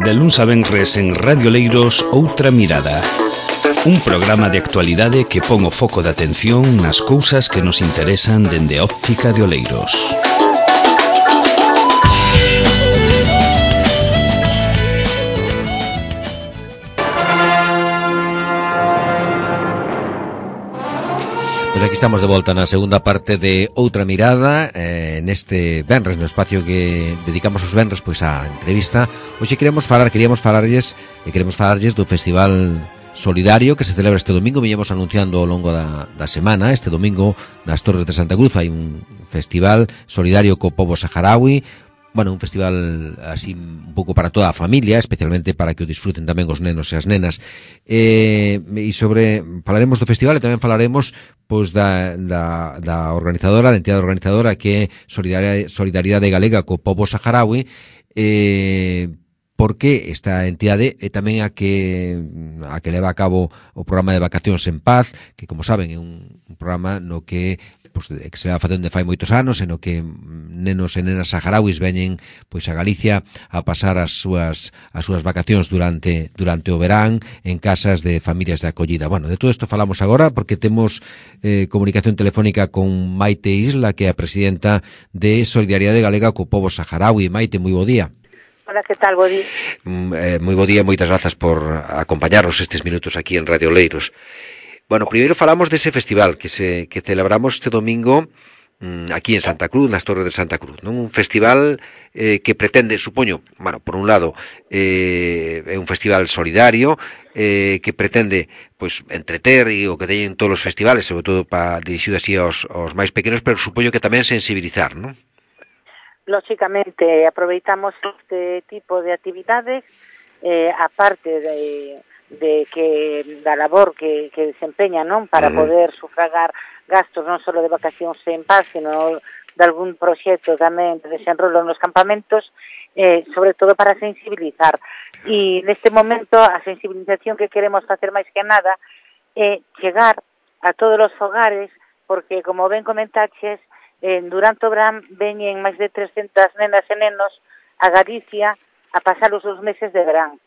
De luns a venres en Radio Oleiros, Outra Mirada. Un programa de actualidade que pon o foco de atención nas cousas que nos interesan dende a óptica de Oleiros. Pois aquí estamos de volta na segunda parte de Outra Mirada, neste venres, no espacio que dedicamos os venres pois á entrevista. Hoxe queríamos falarlles do Festival Solidario que se celebra este domingo. Viñemos anunciando ao longo da semana. Este domingo nas Torres de Santa Cruz hai un festival solidario co pobo saharaui. Bueno, un festival así un pouco para toda a familia, especialmente para que o disfruten tamén os nenos e as nenas. Falaremos do festival e tamén falaremos pois da organizadora, da entidade organizadora que é Solidaridade Galega co pobo saharaui, porque esta entidade é tamén a que leva a cabo o programa de Vacacións en Paz, que, como saben, é un programa no que que se va facendo fai moitos anos, en o que nenos e nenas saharauis veñen pois a Galicia a pasar as súas vacacións durante o verán en casas de familias de acollida. Bueno, de todo isto falamos agora porque temos comunicación telefónica con Maite Isla, que é a presidenta de Solidaridade Galega co pobo saharaui. Maite, moi bo día. Hola, que tal? Bo día. Moi bo día, moitas grazas por acompañarnos estes minutos aquí en Radio Oleiros. Bueno, primeiro falamos dese festival que celebramos este domingo aquí en Santa Cruz, nas Torres de Santa Cruz, non? Un festival que pretende, supoño, bueno, por un lado, é un festival solidario que pretende, pois, entreter e o que teñen todos os festivales, sobre todo dirixido así aos máis pequenos, pero supoño que tamén sensibilizar, non? Lógicamente, aproveitamos este tipo de actividades, aparte da labor que desempeña, non, para poder sufragar gastos non só de Vacacións en Paz, sino de algún proxecto tamén de desenrolo nos campamentos, sobre todo para sensibilizar. E neste momento a sensibilización que queremos facer máis que nada é chegar a todos os fogares, porque, como ben comentaches, durante o verán veñen máis de 300 nenas e nenos a Galicia a pasar os 2 meses de verán.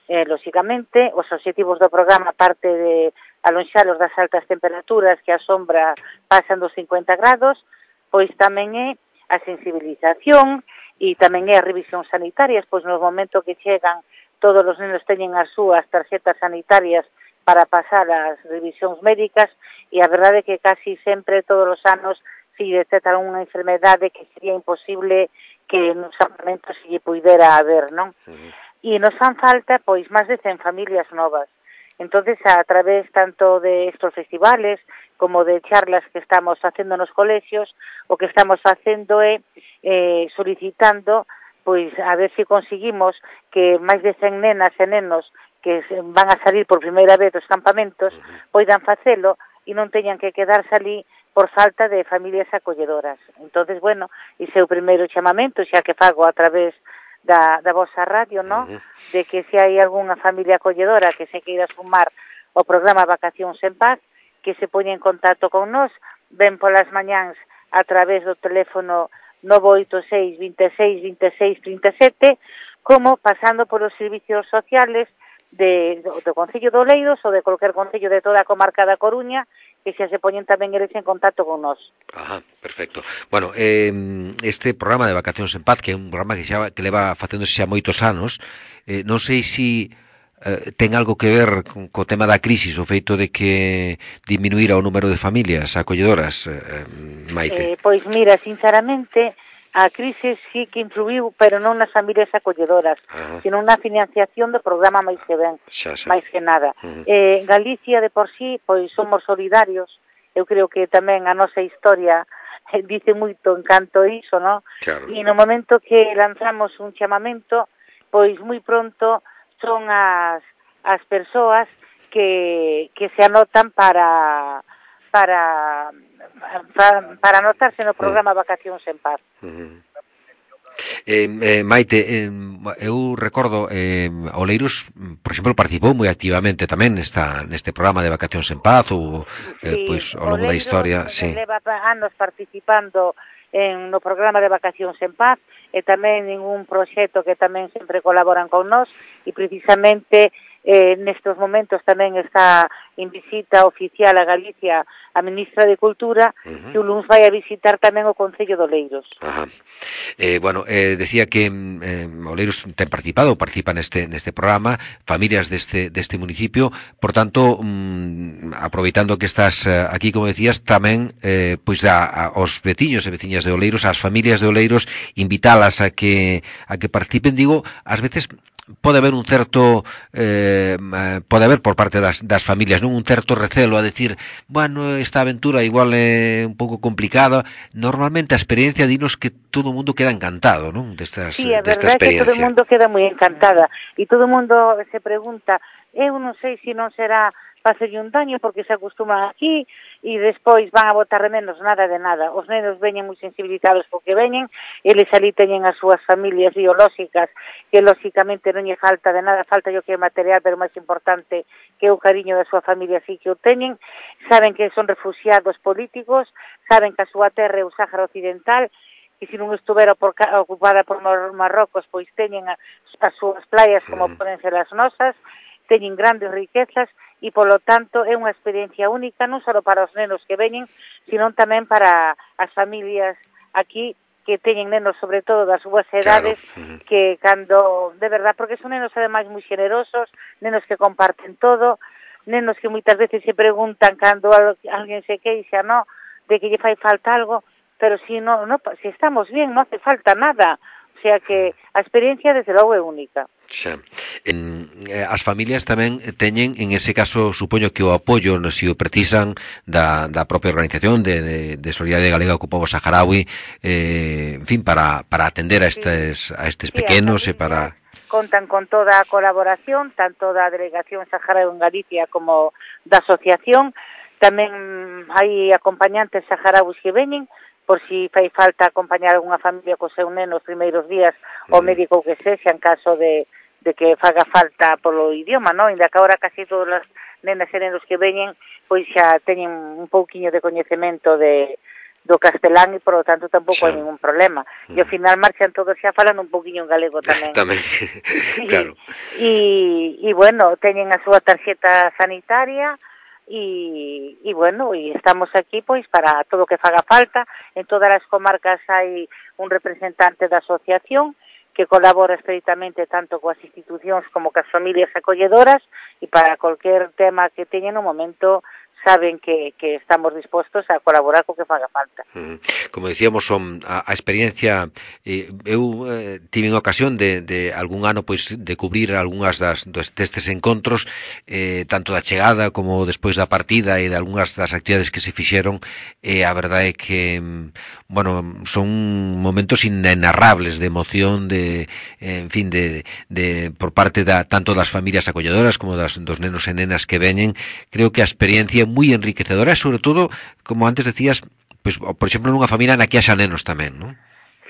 Lógicamente, os obxectivos do programa, aparte de alonxalos das altas temperaturas que a sombra pasan dos 50 grados, pois tamén é a sensibilización e tamén é a revisión sanitarias, pois no momento que chegan todos os nenos teñen as súas tarxetas sanitarias para pasar as revisións médicas, e a verdade é que casi sempre, todos os anos, se detectan unha enfermedade que sería imposible que nos campamentos se lle puidera haber, non? E nos fan falta, pois, máis de 100 familias novas. Entonces, a través tanto de estos festivales como de charlas que estamos facendo nos colexios, o que estamos facendo é solicitando, pois, a ver se conseguimos que máis de 100 nenas e nenos que van a salir por primeira vez dos campamentos poidan facelo e non teñan que quedarse ali por falta de familias acolledoras. Entonces, bueno, ese é o primeiro chamamento, xa que fago a través da vosa radio, ¿no? De que se hai algunha familia acolledora que se queira sumar ao programa Vacacións en Paz, que se poña en contacto con nós, ven polas mañáns a través do teléfono 986 26 26 37, como pasando polos servicios sociales do Concello de Oleiros ou de cualquier concello de toda a comarca da Coruña, que xa se poñen tamén eles en contacto con nós. Ajá, perfecto. Bueno, este programa de Vacacións en Paz, que é un programa que leva facéndose xa moitos anos, non sei se ten algo que ver co tema da crisis, o feito de que diminuíra o número de familias acolledoras, Maite. Pois mira, sinceramente, a crise sí que influiu, pero non nas familias acolledoras, sino na financiación do programa máis que ben, máis que nada. Galicia, de por sí, pois somos solidarios. Eu creo que tamén a nosa historia dice moito en canto iso, non? Claro. E no momento que lanzamos un chamamento, pois moi pronto son as persoas que se anotan para anotarse no programa Vacacións en Paz. Maite, eu recordo Oleiros, por exemplo, participou moi activamente tamén neste programa de Vacacións en Paz ou sí, pois ao longo da historia, leva anos participando no programa de Vacacións en Paz, e tamén ningún proxecto que tamén sempre colaboran con nós, e precisamente nestes momentos tamén está en visita oficial a Galicia a ministra de Cultura, que o luns vai a visitar tamén o Concello de Oleiros. Decía que Oleiros participa neste programa, familias deste municipio, por tanto, aproveitando que estás aquí, como decías, tamén pois aos veciños e veciñas de Oleiros, ás familias de Oleiros, invitalas a que participen, digo, ás veces pode haber un certo pode haber por parte das familias, non, un certo recelo a decir, bueno, esta aventura igual é un pouco complicada. Normalmente a experiencia dinos que todo o mundo queda encantado, non, desta experiencia. Sí, a verdade é que todo o mundo queda moi encantada e todo o mundo se pregunta, eu non sei se non será facerlle un daño porque se acostuman aquí e despois van a botar de menos, nada de nada. Os nenos veñen moi sensibilizados porque veñen, eles ali teñen as súas familias biolóxicas que lóxicamente non lle falta de nada, falta yo que é material, pero máis importante que o cariño da súa familia sí que o teñen, saben que son refugiados políticos, saben que a súa terra é o Sáhara Occidental, que se non estuvera ocupada por Marrocos, pois teñen as súas playas como poden ser as nosas, teñen grandes riquezas, e, polo tanto, é unha experiencia única, non só para os nenos que veñen, sino tamén para as familias aquí que teñen nenos, sobre todo, das súas edades, claro. Que cando, de verdad, porque son nenos, ademais, moi generosos, nenos que comparten todo, nenos que moitas veces se preguntan cando alguén se queixa, no, de que lle fai falta algo, pero si estamos bien, non hace falta nada. O sea que a experiencia, desde logo, é única. Xa. As familias tamén teñen, en ese caso, supoño que o apoio, se o precisan, da propia organización de Solidaridade Galega co pobo saharaui, en fin, para atender a estes pequenos e para... Contan con toda a colaboración, tanto da Delegación Saharaui en Galicia como da asociación. Tamén hai acompañantes saharauis que veñen, por si fai falta acompañar a unha familia co seu neno os primeiros días, o médico que sexa, en caso de que faga falta polo idioma, non? Inda que agora casi todas as nenas e nenos que veñen, pois xa teñen un pouquiño de coñecemento do castelán e, por lo tanto, tampouco hai ningún problema. E ao final marchan todos xa falando un pouquiño en galego tamén. Tamén, claro. E, bueno, teñen a súa tarxeta sanitaria, e bueno, e estamos aquí pois para todo o que faga falta. En todas as comarcas hai un representante da asociación que colabora estreitamente tanto coas institucións como coas familias acolledoras, e para cualquier tema que teñen no momento saben que estamos dispostos a colaborar co que faga falta. Como decíamos, a experiencia, eu tive ocasión de algún ano pois de cubrir algunhas destes encontros, tanto da chegada como despois da partida e de algunhas das actividades que se fixeron, e a verdade é que, bueno, son momentos inenarrables de emoción, en fin, por parte tanto das familias acolledoras como dos nenos e nenas que veñen. Creo que a experiencia moi enriquecedora, sobre todo, como antes decías, pues, por exemplo, nunha familia na que haxa nenos tamén, non?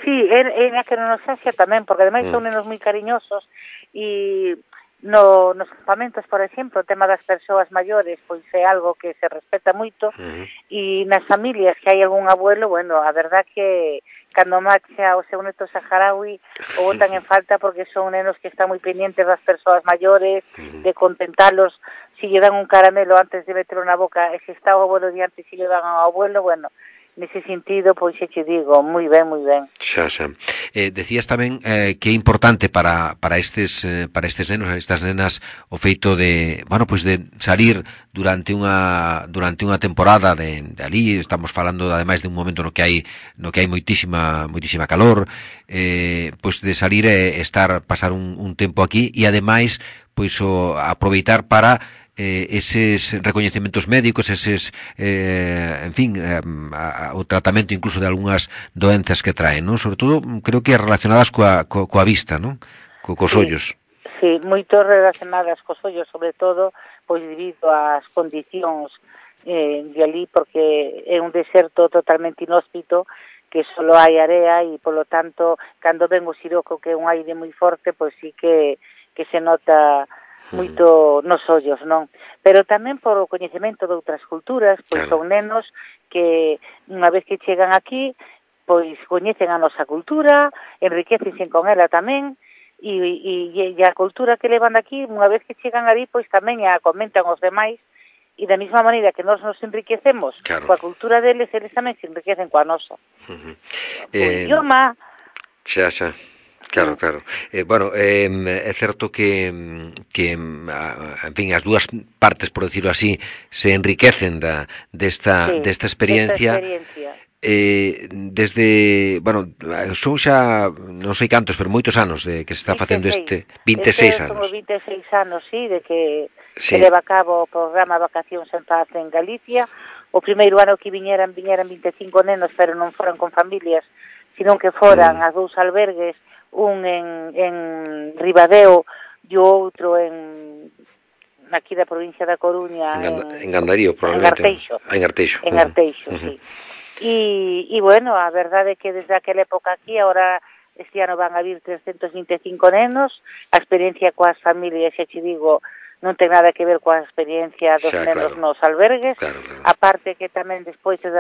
Sí, na que non nos haxa tamén, porque ademais son nenos moi cariñosos, e nos campamentos, por exemplo, o tema das persoas maiores, pois é algo que se respeta moito, e nas familias que hai algún abuelo, bueno, a verdad que cando marcha o seu neto saharaui o botan en falta, porque son nenos que están moi pendientes das persoas maiores, de contentalos. Si lle dan un caramelo antes de meterlo na boca, e se está o abuelo diante, si lle dan ao abuelo, bueno, nese sentido, pois xe te digo, moi ben, moi ben. Xa. Decías tamén que é importante para estes nenos, estas nenas, o feito de, bueno, pois de salir durante unha temporada de ali, estamos falando ademais de un momento no que hai moitísima calor, pois de salir e pasar un tempo aquí, e ademais pois aproveitar para eses recoñecementos médicos, eses, en fin, o tratamento incluso de algunhas doenzas que traen, non? Sobre todo, creo que relacionadas coa vista, non? Cos ollos. Sí, moito relacionadas cos ollos, sobre todo, pois debido ás condicións de ali, porque é un deserto totalmente inhóspito, que só hai area, e, polo tanto, cando ven o siroco, que é un aire moi forte, pois sí que se nota moito nos ollos, non? Pero tamén por o coñecemento de outras culturas, pois claro, son nenos que unha vez que chegan aquí pois coñecen a nosa cultura, enriquecense con ela tamén, e a cultura que levan aquí, unha vez que chegan ali, pois tamén a comentan os demais, e da mesma maneira que nós nos enriquecemos coa cultura deles, eles tamén se enriquecen coa nosa. O idioma... Xa. Claro. Bueno, é certo que en fin, as dúas partes, por decirlo así, se enriquecen desta experiencia. Desde, bueno, son xa non sei cantos, pero moitos anos que se está facendo 26 anos. Son 26 anos, de que leva a cabo o programa Vacacións en Paz en Galicia. O primeiro ano que viñeran 25 nenos, pero non foran con familias, sino que foran a 2 albergues, un en Ribadeo e o outro aquí da provincia da Coruña, en Gandarío, probablemente. En Arteixo. En Arteixo, sí. E bueno, a verdade é que desde aquela época aquí, ahora este ano van a vir 325 nenos, a experiencia coas familias, xa te digo, non ten nada que ver coa experiencia dos nenos nos albergues, aparte que tamén despois de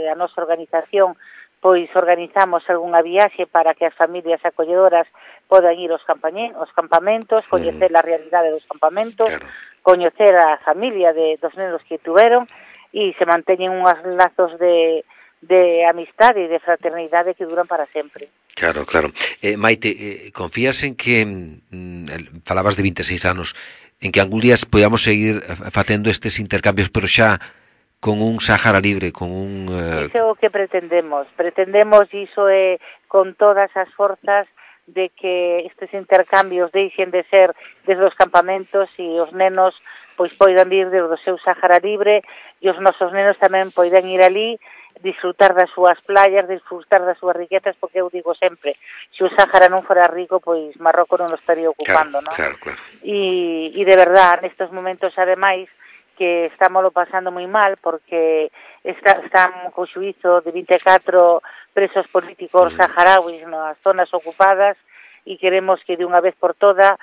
a nosa organización, pois organizamos algunha viaxe para que as familias acolledoras podan ir aos campamentos, coñecer a realidade dos campamentos, coñecer a familia dos nenos que tuveron, e se manteñen unhos lazos de amistade e de fraternidade que duran para sempre. Claro. Maite, confías en que, falabas de 26 anos, en que algún día podamos seguir facendo estes intercambios, pero xa con un Sáhara libre, con un... Iso é o que pretendemos, iso é con todas as forzas de que estes intercambios deixen de ser desde os campamentos e os nenos pois poidan vir desde o seu Sáhara libre e os nosos nenos tamén poidan ir ali, disfrutar das súas playas, disfrutar das súas riquezas, porque eu digo sempre, se o Sáhara non fora rico, pois Marrocos non o estaría ocupando, non? Claro. E de verdad, nestes momentos, ademais, que estámoslo pasando moi mal, porque están co xuízo de 24 presos políticos saharauis nas zonas ocupadas, e queremos que de unha vez por toda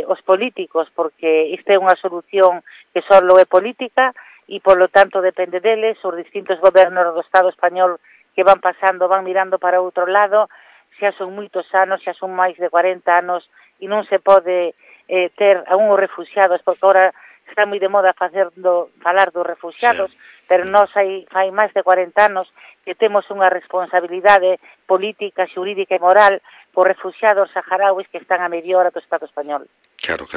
os políticos, porque esta é unha solución que só é política e polo tanto depende deles, os distintos gobernos do Estado español que van pasando, van mirando para outro lado, xa son moitos anos, xa son máis de 40 anos e non se pode ter a uns refugiados, porque agora está moi de moda falar dos refugiados, pero nós fai máis de 40 anos que temos unha responsabilidade política, xurídica e moral por refugiados saharauis que están a media hora do Estado español. Claro.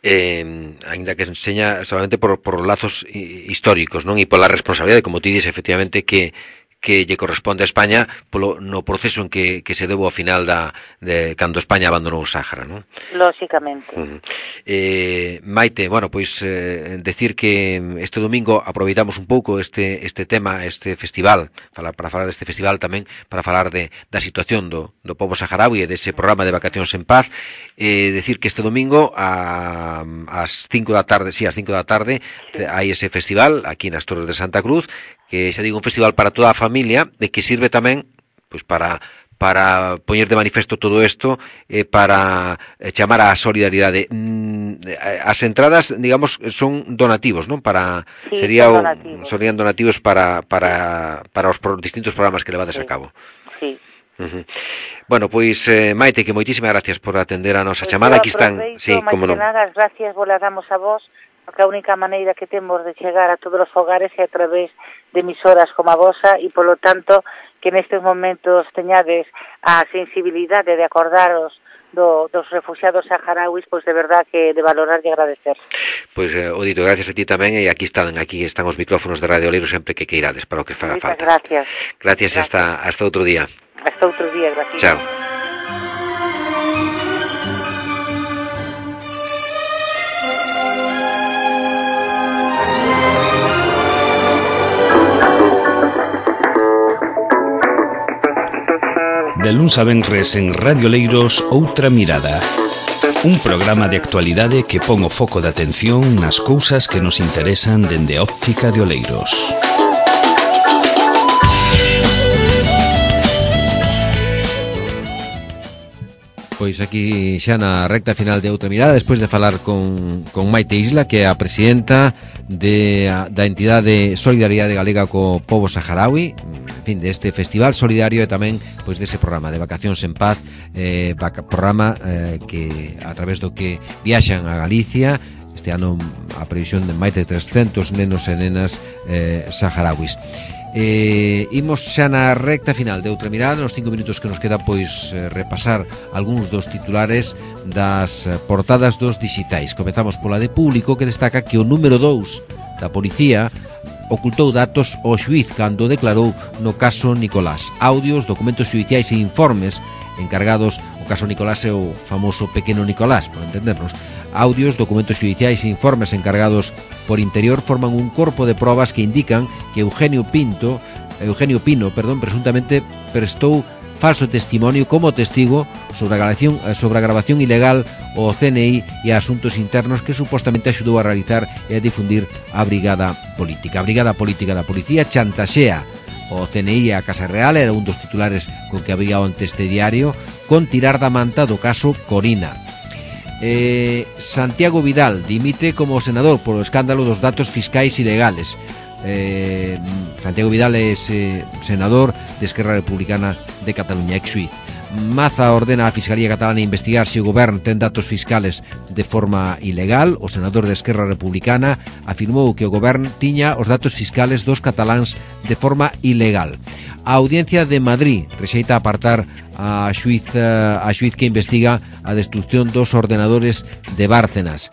Ainda que enseña solamente por lazos históricos, non? E pola responsabilidade, como ti dices, efectivamente, que lle corresponde a España no proceso en que se debo ao final de cando España abandonou o Sáhara, non? Lóxicamente. Maite, bueno, pois decir que este domingo aproveitamos un pouco este tema, este festival, para falar deste festival tamén, para falar da situación do pobo saharaui e dese programa de Vacacións en Paz, decir que este domingo ás 5 da tarde, hai ese festival aquí nas Torres de Santa Cruz, que xa digo, un festival para toda a familia, de que sirve tamén pois para poñer de manifesto todo isto, para chamar á solidaridade. As entradas, digamos, son donativos, non? Serían donativos para os distintos programas que levades a cabo. Sí. Bueno, pois Maite, que moitísimas gracias por atender a nosa chamada. Aquí están, como non. As gracias vos las damos a vos, porque a única maneira que temos de chegar a todos os fogares é a través de emisoras como a vosa, e polo tanto que nestes momentos teñades a sensibilidade de acordaros dos refugiados saharauis, pois de verdad que de valorar e agradecer. Pois, Odito, gracias a ti tamén, e aquí están os micrófonos de Radio Leiro sempre que queirades, para o que faga falta. Gracias. Gracias. Hasta outro día. Hasta outro día, gracias. Chao. De luns a venres en Radio Leiros, Outra Mirada. Un programa de actualidade que pon o foco de atención nas cousas que nos interesan dende a óptica de Oleiros. Pois aquí xa na recta final de Outra Mirada, despois de falar con Maite Isla, que é a presidenta da entidade Solidaridade Galega co Pobo Saharaui, en fin, deste festival solidario e tamén pois dese programa de Vacacións en Paz, programa que a través do que viaxan a Galicia. Este ano a previsión de máis de 300 nenos e nenas saharauis. Imos xa na recta final de Outra Mirada, nos 5 minutos que nos queda, pois repasar algúns dos titulares das portadas dos digitais. Comezamos pola de Público, que destaca que o número 2 da policía ocultou datos ao xuíz cando declarou no caso Nicolás. Audios, documentos xudiciais e informes encargados. O caso Nicolás é o famoso pequeno Nicolás, por entendernos. Audios, documentos xudiciais e informes encargados por Interior forman un corpo de probas que indican que Eugenio Pino, presuntamente prestou falso testimonio como testigo sobre a grabación ilegal ao CNI e a Asuntos Internos que supostamente axudou a realizar e a difundir a Brigada Política. A Brigada Política da Policía chantaxea o CNI e a Casa Real, era un dos titulares con que abría onte este diario, con tirar da manta do caso Corina. Santiago Vidal dimite como senador polo escándalo dos datos fiscais ilegales. Santiago Vidal é senador de Esquerra Republicana de Cataluña, ex-xuíz. Maza ordena a Fiscalía Catalana investigar se o goberno ten datos fiscales de forma ilegal. O senador de Esquerra Republicana afirmou que o goberno tiña os datos fiscales dos cataláns de forma ilegal. A Audiencia de Madrid rexeita apartar a xuiz que investiga a destrucción dos ordenadores de Bárcenas.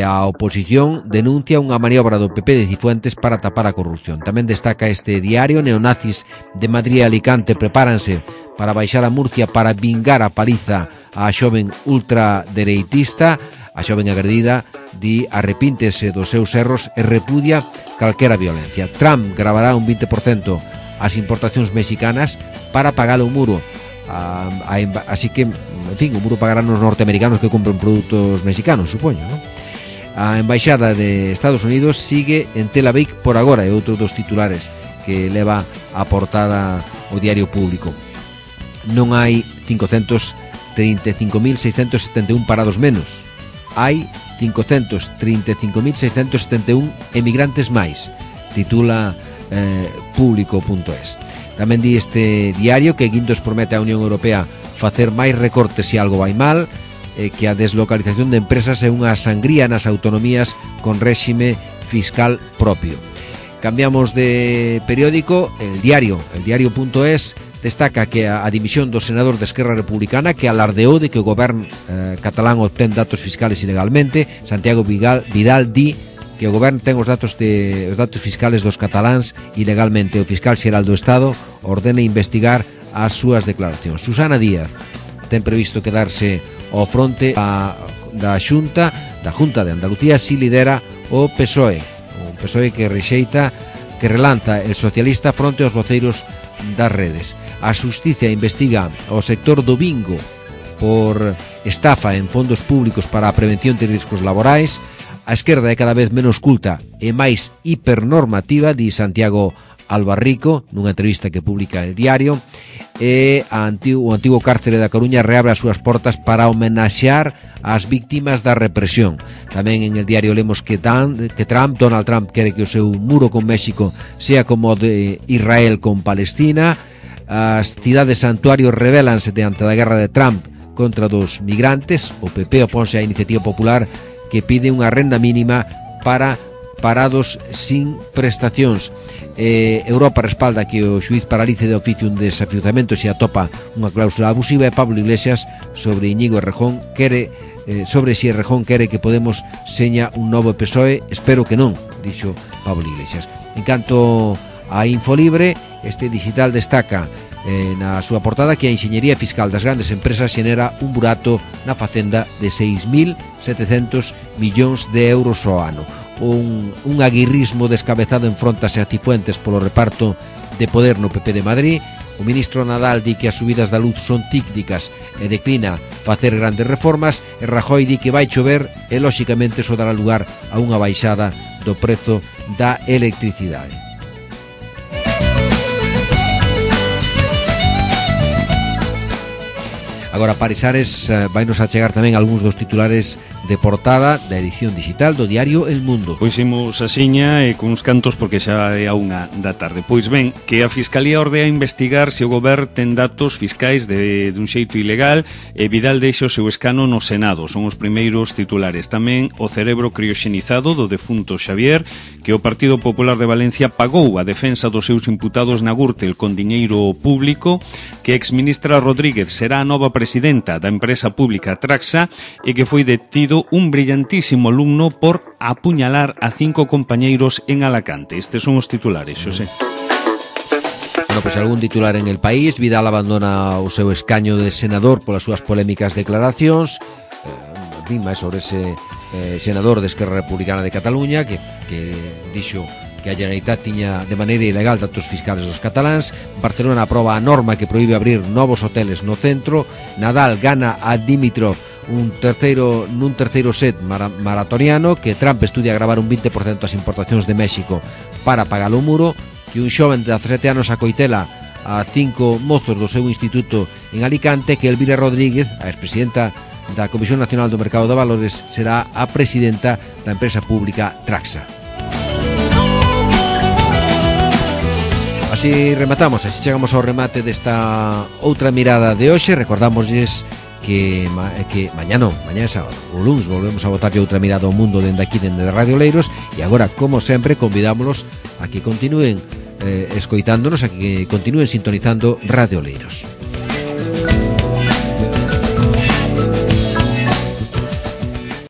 A oposición denuncia unha maniobra do PP de Cifuentes para tapar a corrupción. Tamén destaca este diario: neonazis de Madrid e Alicante prepáranse para baixar a Murcia para vingar a paliza á xoven ultradereitista. A xoven agredida di arrepíntese dos seus erros e repudia calquera violencia. Trump gravará un 20% as importacións mexicanas para pagar o muro. Así que, en fin, o muro pagarán os norteamericanos que compren produtos mexicanos, supoño, non? A Embaixada de Estados Unidos sigue en Tel Aviv por agora, é outro dos titulares que leva a portada o diario Público. Non hai 535.671 parados menos, hai 535.671 emigrantes máis, titula Público.es. Tamén di este diario que Guindos promete á Unión Europea facer máis recortes se algo vai mal, que a deslocalización de empresas é unha sangría nas autonomías con réxime fiscal propio. Cambiamos de periódico. El diario.es destaca que a dimisión do senador de Esquerra Republicana, que alardeou de que o goberno catalán obtén datos fiscales ilegalmente. Santiago Vidal di que o goberno ten os datos fiscales dos cataláns ilegalmente. O fiscal xeral do Estado ordena investigar as súas declaracións. Susana Díaz ten previsto quedarse ao fronte da Junta de Andalucía si lidera o PSOE. O PSOE que relanza el socialista fronte aos voceiros das redes. A Xustiza investiga o sector do bingo por estafa en fondos públicos para a prevención de riscos laborais. A esquerda é cada vez menos culta e máis hipernormativa, di Santiago Albarrico nunha entrevista que publica el diario. E o antigo cárcere da Coruña reabre as súas portas para homenaxear as víctimas da represión. Tamén en el diario lemos que Donald Trump quere que o seu muro con México sea como o de Israel con Palestina. As cidades santuarios rebelanse diante da guerra de Trump contra dos migrantes. O PP oponse á iniciativa popular que pide unha renda mínima para parados sin prestacións. Europa respalda que o xuiz paralice de oficio un desafiuzamento se atopa unha cláusula abusiva. E Pablo Iglesias sobre Íñigo Errejón sobre si Errejón quere que Podemos seña un novo PSOE. Espero que non, dixo Pablo Iglesias. En canto a Infolibre, este digital destaca na súa portada que a enxeñería fiscal das grandes empresas xenera un burato na facenda de 6.700 millóns de euros ao ano. Un aguirrismo descabezado enfrontase a Cifuentes polo reparto de poder no PP de Madrid. O ministro Nadal di que as subidas da luz son cíclicas e declina facer grandes reformas. E Rajoy di que vai chover e lóxicamente iso dará lugar a unha baixada do prezo da electricidade. Agora Parisares vai nos achegar tamén algúns dos titulares de portada da edición digital do diario El Mundo. Pois imos a siña e cuns cantos porque xa é a 1 da tarde. Pois ben, que a Fiscalía ordea investigar se o goberno ten datos fiscais dun xeito ilegal e Vidal deixa o seu escano no Senado. Son os primeiros titulares. Tamén o cerebro crioxenizado do defunto Xavier, que o Partido Popular de Valencia pagou a defensa dos seus imputados na Gürtel con diñeiro público, que a exministra Rodríguez será a nova presidenta da empresa pública Traxa e que foi detido un brillantísimo alumno por apuñalar a 5 compañeiros en Alacante. Estes son os titulares, Xosé. Bueno, pois algún titular en El País. Vidal abandona o seu escaño de senador polas súas polémicas declaracións. Máis sobre ese senador de Esquerra Republicana de Cataluña que dixo que a Generalitat tiña de maneira ilegal datos fiscales dos cataláns. Barcelona aproba a norma que proíbe abrir novos hoteles no centro. Nadal gana a Dimitrov nun terceiro set maratoniano. Que Trump estudia gravar un 20% as importacións de México para pagar o muro. Que un xoven de 17 anos acoitela a 5 mozos do seu instituto en Alicante. Que Elvira Rodríguez, a expresidenta da Comisión Nacional do Mercado de Valores, será a presidenta da empresa pública Traxa. Así rematamos, así chegamos ao remate desta outra mirada de hoxe. Recordámoslles que mañá é sábado, o luns volvemos a botarlle outra mirada ao mundo dende aquí, dende Radio Leiros. E agora, como sempre, convidámonos a que continúen escoitándonos, a que continúen sintonizando Radio Leiros.